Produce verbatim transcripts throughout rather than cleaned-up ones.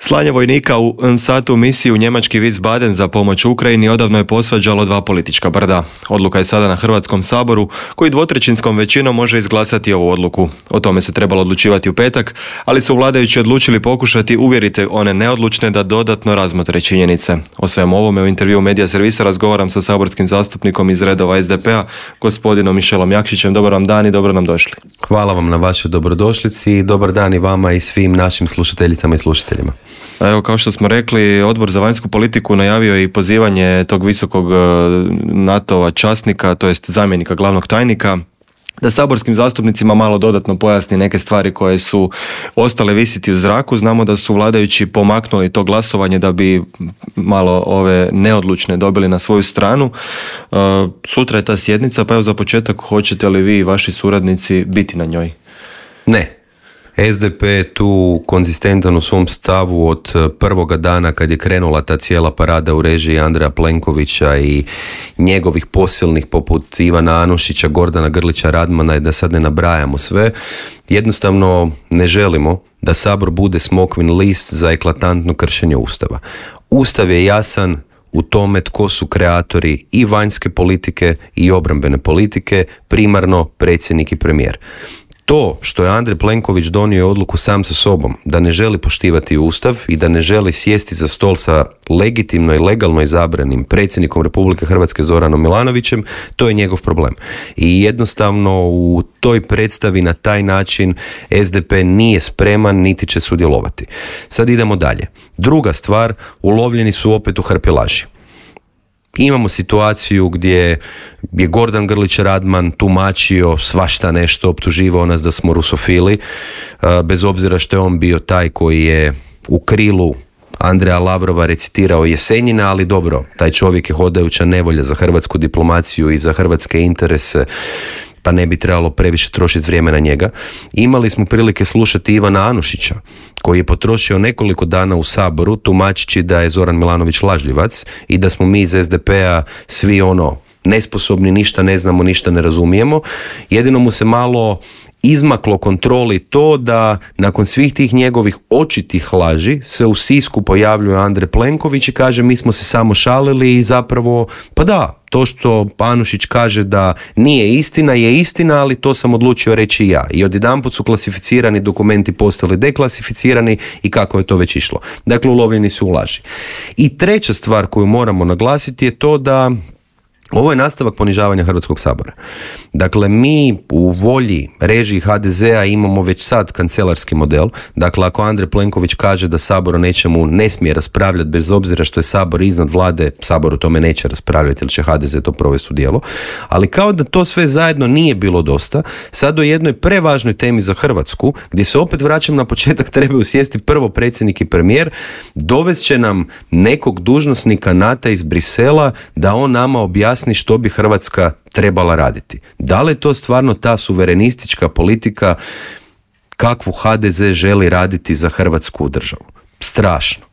Slanje vojnika u NSATU misiju njemački Wiesbaden za pomoć Ukrajini odavno je posvađalo dva politička brda. Odluka je sada na Hrvatskom saboru, koji dvotrećinskom većinom može izglasati ovu odluku. O tome se trebalo odlučivati u petak, ali su vladajući odlučili pokušati uvjeriti one neodlučne da dodatno razmotre činjenice. O svemu ovome u intervjuu Medija servisa razgovaram sa saborskim zastupnikom iz redova S D P-a, gospodinom Mišelom Jakšićem. Dobar vam dan i dobro nam došli. Hvala vam na vašoj dobrodošlici i dobar dan i vama i svim našim slušateljicama i slušateljima. Evo, kao što smo rekli, Odbor za vanjsku politiku najavio i pozivanje tog visokog NATO-ova časnika, to jest zamjenika glavnog tajnika, da saborskim zastupnicima malo dodatno pojasni neke stvari koje su ostale visiti u zraku. Znamo da su vladajući pomaknuli to glasovanje da bi malo ove neodlučne dobili na svoju stranu. Sutra je ta sjednica, pa evo za početak, hoćete li vi i vaši suradnici biti na njoj? Ne. S D P je tu konzistentan u svom stavu od prvoga dana kad je krenula ta cijela parada u režiji Andreja Plenkovića i njegovih posilnih poput Ivana Anušića, Gordana Grlića Radmana i da sad ne nabrajamo sve. Jednostavno ne želimo da Sabor bude smokvin list za eklatantno kršenje Ustava. Ustav je jasan u tome tko su kreatori i vanjske politike i obrambene politike, primarno predsjednik i premijer. To što je Andrej Plenković donio odluku sam sa sobom da ne želi poštivati Ustav i da ne želi sjesti za stol sa legitimno i legalno izabranim predsjednikom Republike Hrvatske Zoranom Milanovićem, to je njegov problem. I jednostavno u toj predstavi na taj način S D P nije spreman niti će sudjelovati. Sad idemo dalje. Druga stvar, ulovljeni su opet u hrpi laži. Imamo situaciju gdje je Gordan Grlić Radman tumačio svašta nešto, optuživao nas da smo rusofili, bez obzira što je on bio taj koji je u krilu Andreja Lavrova recitirao Jesenjina, ali dobro, taj čovjek je hodajuća nevolja za hrvatsku diplomaciju i za hrvatske interese, pa ne bi trebalo previše trošiti vrijeme na njega. Imali smo prilike slušati Ivana Anušića, koji je potrošio nekoliko dana u Saboru tumačići da je Zoran Milanović lažljivac i da smo mi iz S D P-a svi ono nesposobni, ništa ne znamo, ništa ne razumijemo. Jedino mu se malo izmaklo kontroli to da nakon svih tih njegovih očitih laži se u Sisku pojavljuje Andrej Plenković i kaže mi smo se samo šalili i zapravo, pa da, to što Anušić kaže da nije istina je istina, ali to sam odlučio reći ja. I odjedanput su klasificirani dokumenti postali deklasificirani i kako je to već išlo. Dakle, ulovljeni su u laži. I treća stvar koju moramo naglasiti je to da ovo je nastavak ponižavanja Hrvatskog sabora. Dakle, mi u volji režiji H D Z-a imamo već sad kancelarski model. Dakle, ako Andrej Plenković kaže da Sabor o nečemu ne smije raspravljati, bez obzira što je Sabor iznad vlade, Sabor o tome neće raspravljati ili će H D Z to provesti u djelo. Ali kao da to sve zajedno nije bilo dosta, sad o jednoj prevažnoj temi za Hrvatsku, gdje se opet vraćam na početak, trebaju sjesti prvo predsjednik i premijer, dovest će nam nekog dužnosnika NATO iz Brisela da on nama objasni što bi Hrvatska trebala raditi. Da li je to stvarno ta suverenistička politika kakvu H D Z želi raditi za Hrvatsku državu? Strašno.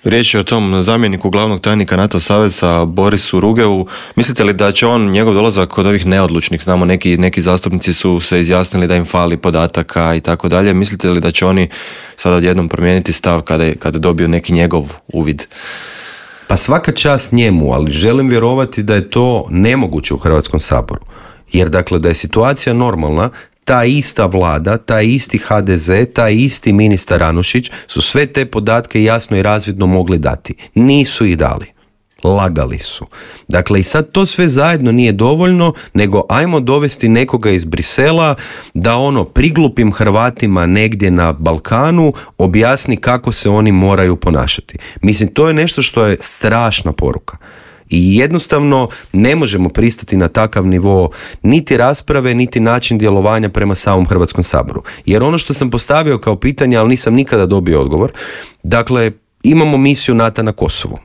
Riječ je o tom zamjeniku glavnog tajnika NATO saveza Borisu Rugeu. Mislite li da će on, njegov dolazak kod ovih neodlučnih, znamo neki, neki zastupnici su se izjasnili da im fali podataka i tako dalje, mislite li da će oni sad odjednom promijeniti stav kada, kada dobiju neki njegov uvid? Pa svaka čast njemu, ali želim vjerovati da je to nemoguće u Hrvatskom saboru. Jer dakle da je situacija normalna, ta ista vlada, taj isti H D Z, taj isti ministar Anušić su sve te podatke jasno i razvidno mogli dati. Nisu ih dali. Lagali su. Dakle, i sad to sve zajedno nije dovoljno, nego ajmo dovesti nekoga iz Brisela da ono priglupim Hrvatima negdje na Balkanu objasni kako se oni moraju ponašati. Mislim, to je nešto što je strašna poruka. I jednostavno ne možemo pristati na takav nivo niti rasprave, niti način djelovanja prema samom Hrvatskom saboru. Jer ono što sam postavio kao pitanje, ali nisam nikada dobio odgovor, dakle, imamo misiju NATO na Kosovu.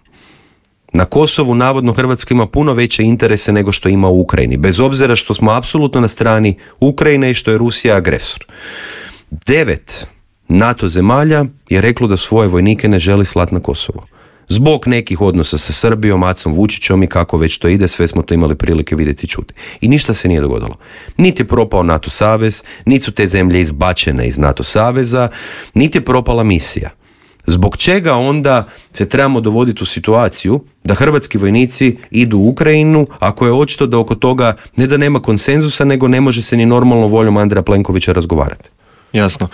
Na Kosovu navodno Hrvatska ima puno veće interese nego što ima u Ukrajini, bez obzira što smo apsolutno na strani Ukrajine i što je Rusija agresor. Devet NATO zemalja je reklo da svoje vojnike ne želi slati na Kosovo. Zbog nekih odnosa sa Srbijom, Macom Vučićom i kako već to ide, sve smo to imali prilike vidjeti i čuti. I ništa se nije dogodilo. Niti je propao NATO savez, niti su te zemlje izbačene iz NATO saveza, niti je propala misija. Zbog čega onda se trebamo dovoditi u situaciju da hrvatski vojnici idu u Ukrajinu, ako je očito da oko toga ne da nema konsenzusa, nego ne može se ni normalno voljom Andreja Plenkovića razgovarati. Jasno.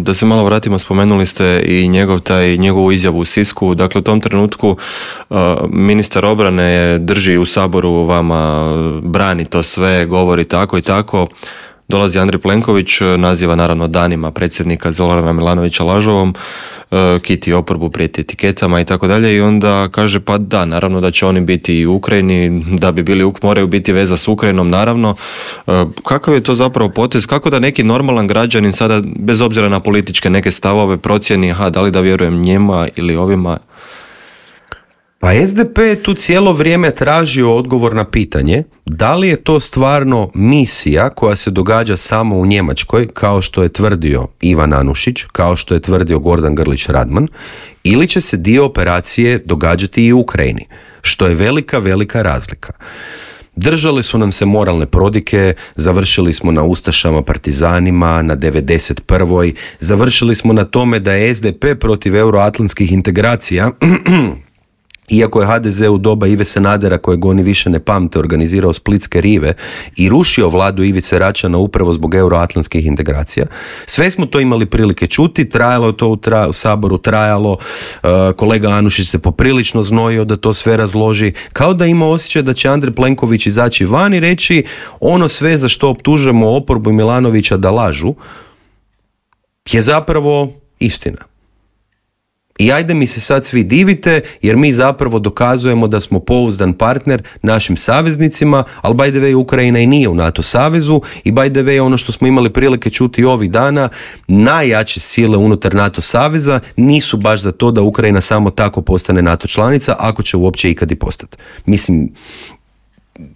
Da se malo vratimo, spomenuli ste i njegov taj, njegovu izjavu u Sisku. Dakle, u tom trenutku ministar obrane drži u Saboru vama, brani to sve, govori tako i tako. Dolazi Andrej Plenković, naziva naravno danima predsjednika Zorana Milanovića lažovom, kiti oporbu, prijeti etiketama i tako dalje, i onda kaže pa da, naravno da će oni biti i u Ukrajini, da bi bili, moraju biti veza s Ukrajinom, naravno. Kakav je to zapravo potez? Kako da neki normalan građanin sada, bez obzira na političke neke stavove, procijeni, aha, da li da vjerujem njima ili ovima? Pa es de pe je tu cijelo vrijeme tražio odgovor na pitanje da li je to stvarno misija koja se događa samo u Njemačkoj, kao što je tvrdio Ivan Anušić, kao što je tvrdio Gordan Grlić Radman, ili će se dio operacije događati i u Ukrajini, što je velika, velika razlika. Držali su nam se moralne prodike, završili smo na ustašama, partizanima, na devedeset prvoj Završili smo na tome da je es de pe protiv euroatlantskih integracija, iako je ha de ze u doba Ive Sanadera, kojeg oni više ne pamte, organizirao splitske rive i rušio vladu Ivice Račana upravo zbog euroatlantskih integracija. Sve smo to imali prilike čuti, trajalo je to u, tra- u Saboru, trajalo, uh, kolega Anušić se poprilično znojio da to sve razloži, kao da ima osjećaj da će Andrej Plenković izaći van i reći ono sve za što optužujemo oporbu i Milanovića da lažu je zapravo istina. I ajde mi se sad svi divite, jer mi zapravo dokazujemo da smo pouzdan partner našim saveznicima, ali by the way Ukrajina i nije u NATO savezu i by the way ono što smo imali prilike čuti ovih dana, najjače sile unutar NATO saveza nisu baš za to da Ukrajina samo tako postane NATO članica, ako će uopće ikad i postati. Mislim,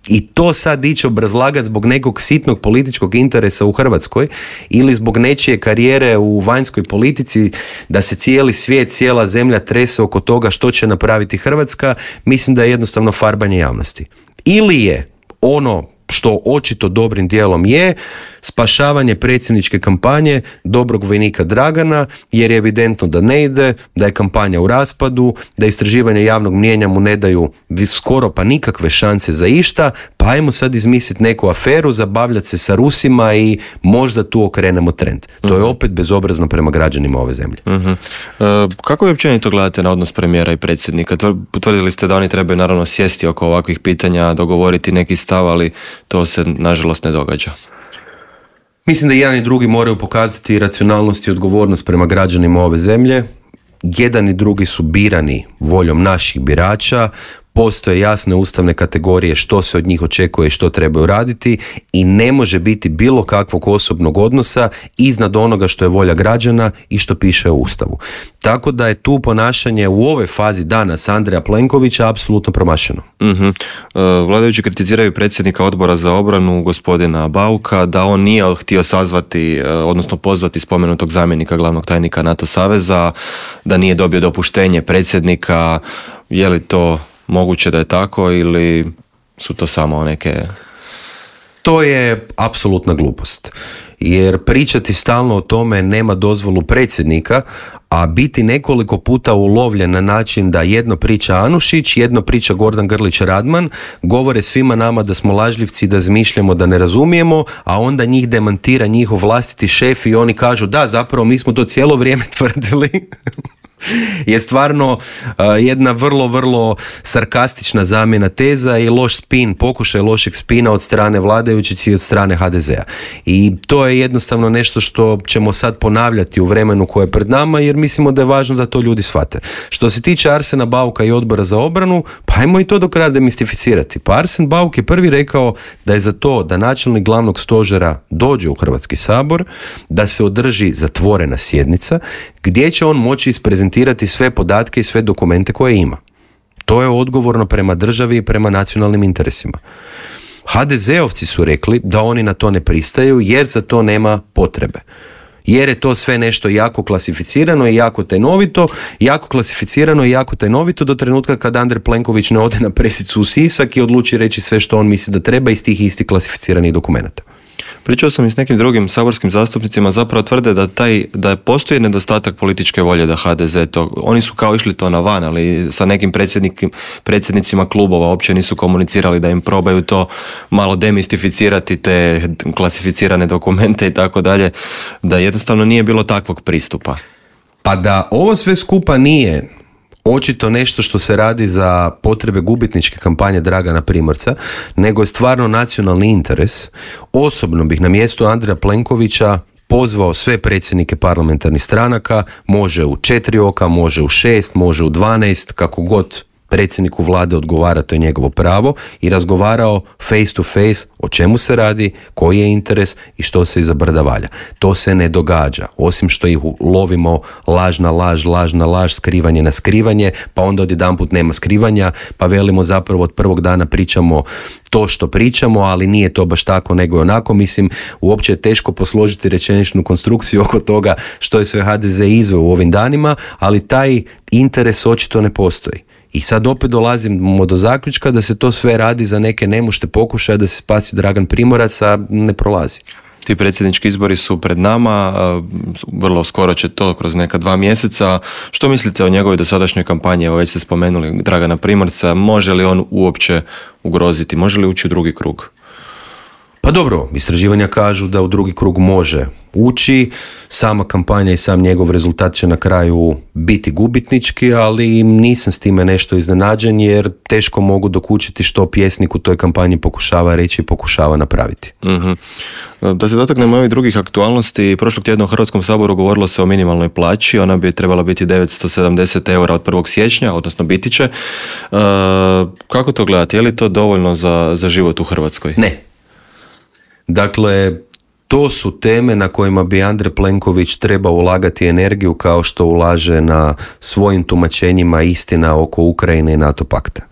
i to sad ići obrazlagati zbog nekog sitnog političkog interesa u Hrvatskoj ili zbog nečije karijere u vanjskoj politici, da se cijeli svijet, cijela zemlja trese oko toga što će napraviti Hrvatska, mislim da je jednostavno farbanje javnosti. Ili je ono što očito dobrim dijelom je spašavanje predsjedničke kampanje dobrog vojnika Dragana, jer je evidentno da ne ide, da je kampanja u raspadu, da istraživanje javnog mnijenja mu ne daju skoro pa nikakve šanse za išta, pa ajmo sad izmisliti neku aferu, zabavljati se sa Rusima i možda tu okrenemo trend. To uh-huh. je opet bezobrazno prema građanima ove zemlje. Uh-huh. Uh, kako vi općenito gledate na odnos premijera i predsjednika? Potvrdili ste da oni trebaju naravno sjesti oko ovakvih pitanja, dogovoriti neki stav, ali to se nažalost ne događa. Mislim da jedan i drugi moraju pokazati racionalnost i odgovornost prema građanima ove zemlje. Jedan i drugi su birani voljom naših birača, postoje jasne ustavne kategorije što se od njih očekuje i što trebaju raditi i ne može biti bilo kakvog osobnog odnosa iznad onoga što je volja građana i što piše u Ustavu. Tako da je tu ponašanje u ovoj fazi danas Andreja Plenkovića apsolutno promašeno. Uh-huh. Uh, vladajući kritiziraju predsjednika odbora za obranu gospodina Bauka da on nije htio sazvati, uh, odnosno pozvati spomenutog zamjenika glavnog tajnika NATO saveza, da nije dobio dopuštenje predsjednika. Je li to moguće da je tako ili su to samo neke... To je apsolutna glupost. Jer pričati stalno o tome nema dozvolu predsjednika, a biti nekoliko puta ulovljen na način da jedno priča Anušić, jedno priča Gordan Grlić Radman, govore svima nama da smo lažljivci, da zmišljamo, da ne razumijemo, a onda njih demantira njihov vlastiti šef i oni kažu da, zapravo mi smo to cijelo vrijeme tvrdili. Je stvarno uh, jedna vrlo, vrlo sarkastična zamjena teza i loš spin, pokušaj lošeg spina od strane vladajućih i od strane ha de zea. I to je jednostavno nešto što ćemo sad ponavljati u vremenu koje je pred nama, jer mislimo da je važno da to ljudi shvate. Što se tiče Arsena Bauka i odbora za obranu, pa ajmo i to do kraja demistificirati. Pa Arsen Bauk je prvi rekao da je za to da načelnik glavnog stožera dođe u Hrvatski sabor, da se održi zatvorena sjednica, gdje će on moći isprezentirati sve podatke i sve dokumente koje ima. To je odgovorno prema državi i prema nacionalnim interesima. ha de zeovci su rekli da oni na to ne pristaju jer za to nema potrebe. Jer je to sve nešto jako klasificirano i jako tajnovito, jako klasificirano i jako tajnovito do trenutka kad Andrej Plenković ne ode na presicu u Sisak i odluči reći sve što on misli da treba iz tih istih klasificiranih dokumenata. Pričao sam i s nekim drugim saborskim zastupnicima, zapravo tvrde da taj, da postoji nedostatak političke volje da ha de ze to, oni su kao išli to na van, ali sa nekim predsjednicima klubova uopće nisu komunicirali da im probaju to malo demistificirati, te klasificirane dokumente i tako dalje, da jednostavno nije bilo takvog pristupa. Pa da ovo sve skupa nije očito nešto što se radi za potrebe gubitničke kampanje Dragana Primorca, nego je stvarno nacionalni interes. Osobno bih na mjestu Andreja Plenkovića pozvao sve predsjednike parlamentarnih stranaka, može u četiri oka, može u šest, može u dvanaest, kako god predsjedniku vlade odgovara, to je njegovo pravo, i razgovarao face to face o čemu se radi, koji je interes i što se iza brda valja. To se ne događa, osim što ih lovimo laž na laž, laž na laž, skrivanje na skrivanje, pa onda odjedanput nema skrivanja, pa velimo zapravo od prvog dana pričamo to što pričamo, ali nije to baš tako nego je onako. Mislim, uopće je teško posložiti rečeničnu konstrukciju oko toga što je sve ha de ze izveo u ovim danima, ali taj interes očito ne postoji. I sad opet dolazimo do zaključka da se to sve radi za neke nemušte pokušaje da se spasi Dragan Primorac, a ne prolazi. Ti predsjednički izbori su pred nama, vrlo skoro će to kroz neka dva mjeseca. Što mislite o njegovoj dosadašnjoj kampanji? Evo već ste spomenuli Dragana Primorca, može li on uopće ugroziti, može li ući u drugi krug? Pa dobro, istraživanja kažu da u drugi krug može ući, sama kampanja i sam njegov rezultat će na kraju biti gubitnički, ali nisam s time nešto iznenađen jer teško mogu dokučiti što pjesnik u toj kampanji pokušava reći i pokušava napraviti. Mm-hmm. Da se dotaknemo ovih drugih aktualnosti, prošlog tjedna u Hrvatskom saboru govorilo se o minimalnoj plaći, ona bi trebala biti devetsto sedamdeset eura od prvog siječnja, odnosno biti će. E, kako to gledati? Je li to dovoljno za, za život u Hrvatskoj? Ne. Dakle, to su teme na kojima bi Andrej Plenković trebao ulagati energiju kao što ulaže na svojim tumačenjima istina oko Ukrajine i NATO pakta.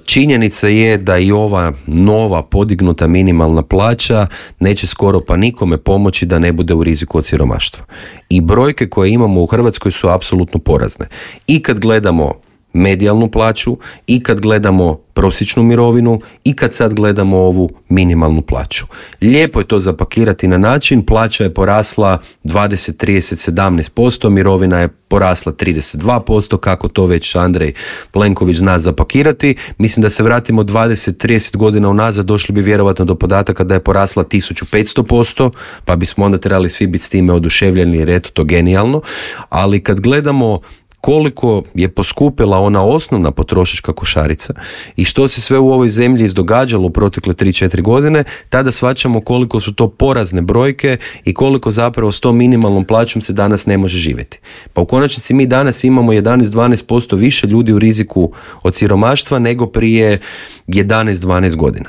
Činjenica je da i ova nova podignuta minimalna plaća neće skoro pa nikome pomoći da ne bude u riziku od siromaštva. I brojke koje imamo u Hrvatskoj su apsolutno porazne. I kad gledamo medijalnu plaću, i kad gledamo prosječnu mirovinu, i kad sad gledamo ovu minimalnu plaću. Lijepo je to zapakirati na način, plaća je porasla dvadeset, trideset, sedamnaest posto, mirovina je porasla trideset dva posto, kako to već Andrej Plenković zna zapakirati. Mislim da se vratimo dvadeset, trideset godina unazad, došli bi vjerovatno do podataka da je porasla tisuću petsto posto, pa bismo onda trebali svi biti s time oduševljeni jer eto to genijalno, ali kad gledamo koliko je poskupila ona osnovna potrošačka košarica i što se sve u ovoj zemlji izdogađalo u protekle tri četiri godine, tada shvaćamo koliko su to porazne brojke i koliko zapravo s tom minimalnom plaćom se danas ne može živjeti. Pa u konačnici mi danas imamo jedanaest do dvanaest posto više ljudi u riziku od siromaštva nego prije jedanaest do dvanaest godina,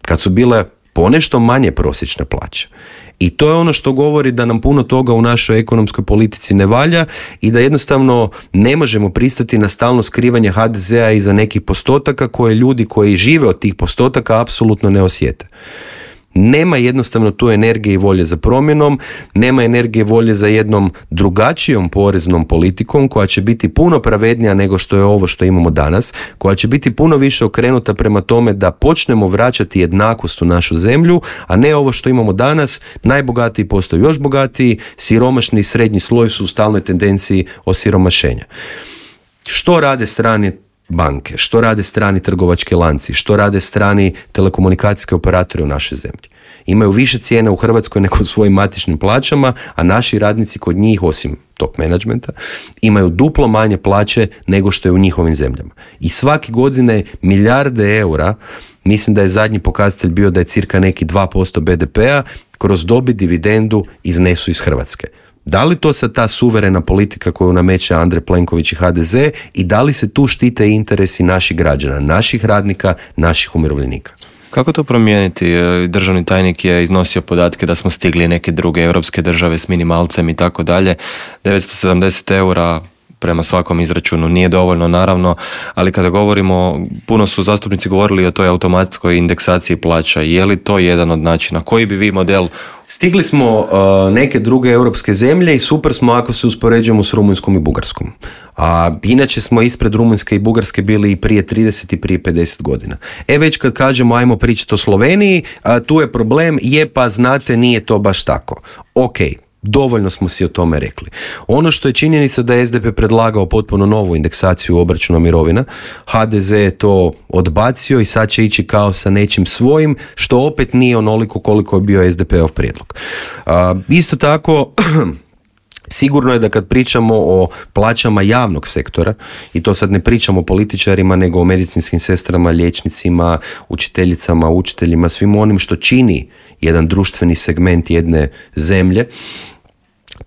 kad su bile ponešto manje prosječne plaće. I to je ono što govori da nam puno toga u našoj ekonomskoj politici ne valja i da jednostavno ne možemo pristati na stalno skrivanje ha de zea iza nekih postotaka koje ljudi koji žive od tih postotaka apsolutno ne osjete. Nema jednostavno tu energije i volje za promjenom, nema energije i volje za jednom drugačijom poreznom politikom koja će biti puno pravednija nego što je ovo što imamo danas, koja će biti puno više okrenuta prema tome da počnemo vraćati jednakost u našu zemlju, a ne ovo što imamo danas, najbogatiji postaju još bogatiji, siromašni i srednji sloj su u stalnoj tendenciji osiromašenja. Što rade strane banke, što rade strani trgovački lanci, što rade strani telekomunikacijski operatori u našoj zemlji? Imaju više cijene u Hrvatskoj nego u svojim matičnim plaćama, a naši radnici kod njih, osim top menadžmenta, imaju duplo manje plaće nego što je u njihovim zemljama. I svake godine milijarde eura, mislim da je zadnji pokazatelj bio da je cirka neki dva posto be de pea, kroz dobit dividendu iznesu iz Hrvatske. Da li to sad ta suverena politika koju nameće Andrej Plenković i ha de ze i da li se tu štite interesi naših građana, naših radnika, naših umirovljenika? Kako to promijeniti? Državni tajnik je iznosio podatke da smo stigli neke druge europske države s minimalcem i tako dalje. devetsto sedamdeset eura prema svakom izračunu nije dovoljno, naravno, ali kada govorimo, puno su zastupnici govorili o toj automatskoj indeksaciji plaća. Je li to jedan od načina? Koji bi vi model Stigli smo uh, neke druge europske zemlje i super smo ako se uspoređujemo s Rumunjskom i Bugarskom. A inače smo ispred Rumunjske i Bugarske bili i prije trideset i prije pedeset godina. E već kad kažemo ajmo pričati o Sloveniji, a, tu je problem, je pa znate nije to baš tako. Ok, dovoljno smo si o tome rekli. Ono što je činjenica da je es de pe predlagao potpuno novu indeksaciju obračuna mirovina, ha de ze je to odbacio i sad će ići kao sa nečim svojim, što opet nije onoliko koliko je bio es de pe-ov prijedlog. A, isto tako, sigurno je da kad pričamo o plaćama javnog sektora, i to sad ne pričamo o političarima, nego o medicinskim sestrama, liječnicima, učiteljicama, učiteljima, svim onim što čini jedan društveni segment jedne zemlje,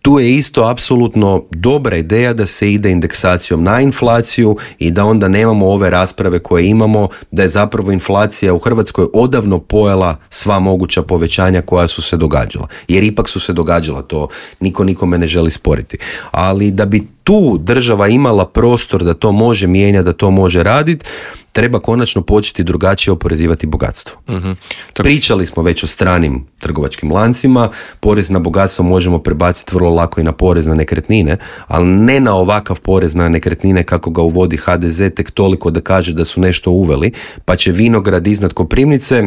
tu je isto apsolutno dobra ideja da se ide indeksacijom na inflaciju i da onda nemamo ove rasprave koje imamo, da je zapravo inflacija u Hrvatskoj odavno pojela sva moguća povećanja koja su se događala. Jer ipak su se događala, to niko nikome ne želi sporiti. Ali da bi tu država imala prostor da to može mijenjati, da to može raditi, treba konačno početi drugačije oporezivati bogatstvo. Uh-huh. Pričali smo već o stranim trgovačkim lancima, porez na bogatstvo možemo prebaciti vrlo lako i na porez na nekretnine, ali ne na ovakav porez na nekretnine kako ga uvodi ha de ze, tek toliko da kaže da su nešto uveli, pa će vinograd iznad Koprivnice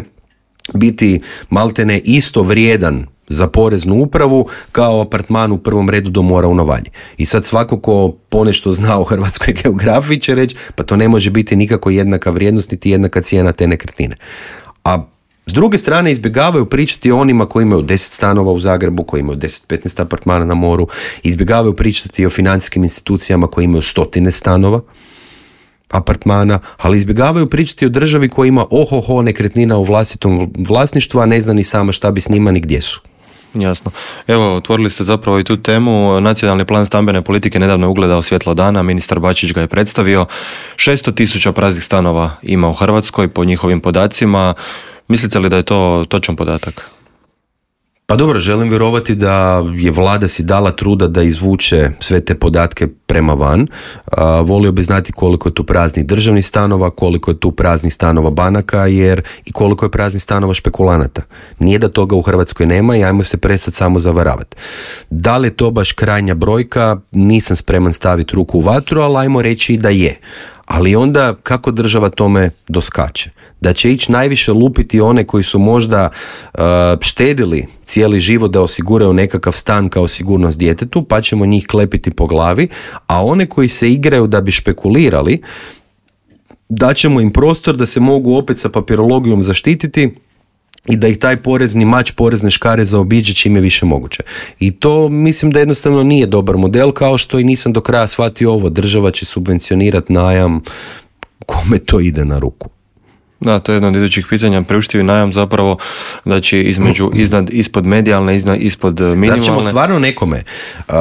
biti maltene isto vrijedan za poreznu upravu kao apartman u prvom redu do mora u Novalji. I sad svako ko ponešto zna o hrvatskoj geografiji će reći pa to ne može biti nikako jednaka vrijednost niti jednaka cijena te nekretnine. A s druge strane izbjegavaju pričati o onima koji imaju deset stanova u Zagrebu, koji imaju deset petnaest apartmana na moru, izbjegavaju pričati o financijskim institucijama koji imaju stotine stanova, apartmana, ali izbjegavaju pričati o državi koja ima ohoho nekretnina u vlastitom vlasništvu, a ne zna ni sama šta bi s njima ni gdje su. Jasno. Evo, otvorili ste zapravo i tu temu. Nacionalni plan stambene politike nedavno je ugledao svjetlo dana, ministar Bačić ga je predstavio. šesto tisuća praznih stanova ima u Hrvatskoj po njihovim podacima. Mislite li da je to točan podatak? Pa dobro, želim vjerovati da je vlada si dala truda da izvuče sve te podatke prema van. A, volio bi znati koliko je tu praznih državnih stanova, koliko je tu praznih stanova banaka, jer i koliko je praznih stanova špekulanata. Nije da toga u Hrvatskoj nema i ajmo se prestati samo zavaravati. Da li je to baš krajnja brojka, nisam spreman staviti ruku u vatru, ali ajmo reći i da je. Ali onda kako država tome doskače? Da će ići najviše lupiti one koji su možda uh, štedili cijeli život da osiguraju nekakav stan kao sigurnost djetetu, pa ćemo njih klepiti po glavi, a one koji se igraju da bi špekulirali, daćemo im prostor da se mogu opet sa papirologijom zaštititi i da ih taj porezni mač, porezne škare zaobiđe čim je više moguće. I to mislim da jednostavno nije dobar model, kao što i nisam do kraja shvatio ovo. Država će subvencionirati najam, kome to ide na ruku. Da, to je jedno od idućih pitanja. Priuštivi najam zapravo, znači između, iznad, ispod medijalne, iznad, ispod minimalne. Da ćemo stvarno nekome, uh,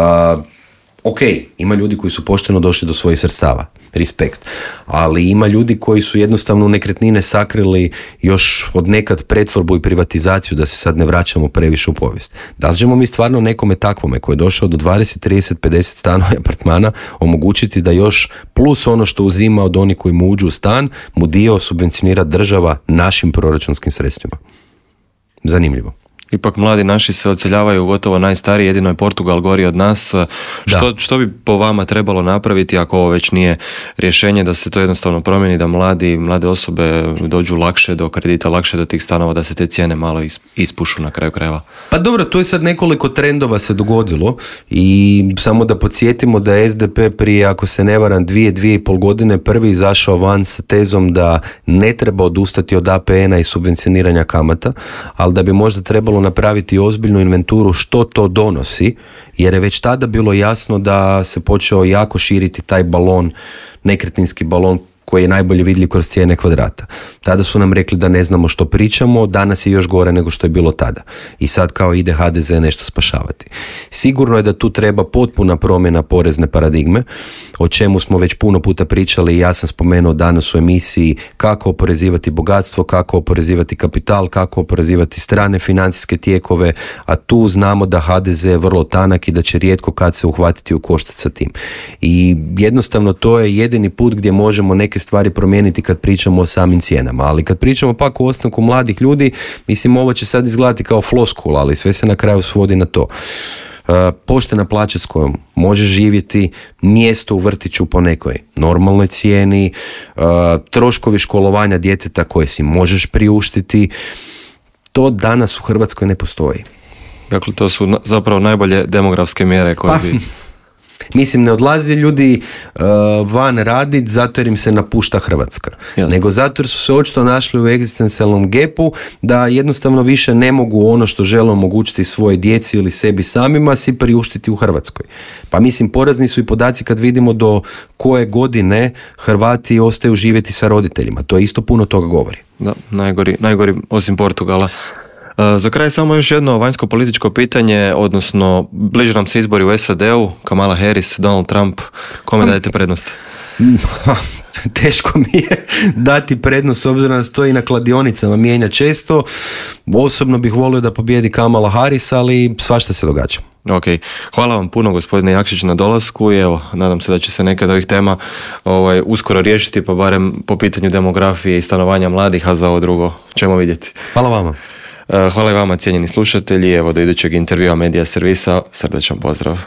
ok, ima ljudi koji su pošteno došli do svojih sredstava, respekt, ali ima ljudi koji su jednostavno u nekretnine sakrili još od nekad pretvorbu i privatizaciju, da se sad ne vraćamo previše u povijest. Da li ćemo mi stvarno nekome takvome koji je došao do dvadeset, trideset, pedeset stanova i apartmana omogućiti da još plus ono što uzima od onih koji mu uđu u stan, mu dio subvencionira država našim proračunskim sredstvima? Zanimljivo. Ipak mladi naši se odseljavaju gotovo najstariji, jedino je Portugal gori od nas. Što, što bi po vama trebalo napraviti ako ovo već nije rješenje, da se to jednostavno promijeni, da mladi, mlade osobe dođu lakše do kredita, lakše do tih stanova, da se te cijene malo ispušu na kraju krajeva? Pa dobro, to je sad nekoliko trendova se dogodilo i samo da podsjetimo da je es de pe prije, ako se ne varam, dvije, dvije i pol godine prvi izašao van sa tezom da ne treba odustati od a pe ena i subvencioniranja kamata, ali da bi možda trebalo napraviti ozbiljnu inventuru što to donosi, jer je već tada bilo jasno da se počeo jako širiti taj balon, nekretninski balon koji je najbolje vidljiv kroz cijene kvadrata. Tada su nam rekli da ne znamo što pričamo, danas je još gore nego što je bilo tada. I sad kao ide ha de ze nešto spašavati. Sigurno je da tu treba potpuna promjena porezne paradigme, o čemu smo već puno puta pričali i ja sam spomenuo danas u emisiji kako oporezivati bogatstvo, kako oporezivati kapital, kako oporezivati strane financijske tijekove, a tu znamo da ha de ze je vrlo tanak i da će rijetko kad se uhvatiti u koštac sa tim. I jednostavno to je jedini put gdje možemo neke neke stvari promijeniti kad pričamo o samim cijenama. Ali kad pričamo pak o ostanku mladih ljudi, mislim ovo će sad izgledati kao floskula, ali sve se na kraju svodi na to. Uh, poštena plaća s kojom možeš živjeti, mjesto u vrtiću po nekoj normalnoj cijeni, uh, troškovi školovanja djeteta koje si možeš priuštiti, to danas u Hrvatskoj ne postoji. Dakle, to su zapravo najbolje demografske mjere koje pa, bi... Mislim, ne odlaze ljudi uh, van radit zato jer im se napušta Hrvatska. Jasne. Nego zato jer su se očito našli u egzistencijalnom gepu da jednostavno više ne mogu ono što žele omogućiti svoje djeci ili sebi samima si priuštiti u Hrvatskoj. Pa mislim, porazni su i podaci kad vidimo do koje godine Hrvati ostaju živjeti sa roditeljima. To isto puno toga govori. Da, najgori, najgori osim Portugala. Za kraj samo još jedno vanjsko-političko pitanje, odnosno bliže nam se izbori u S A D-u, Kamala Harris, Donald Trump, kome dajete prednost? Teško mi je dati prednost s obzirom da stoji na kladionicama, mijenja često. Osobno bih volio da pobjedi Kamala Harris, ali svašta se događa. Ok, hvala vam puno gospodine Jakšić na dolasku i evo, nadam se da će se neka od ovih tema ovaj, uskoro riješiti, pa barem po pitanju demografije i stanovanja mladih, a za ovo drugo ćemo vidjeti. Hvala vama. Hvala i vama cijenjeni slušatelji, evo do idućeg intervjua Medija servisa, srdačan pozdrav.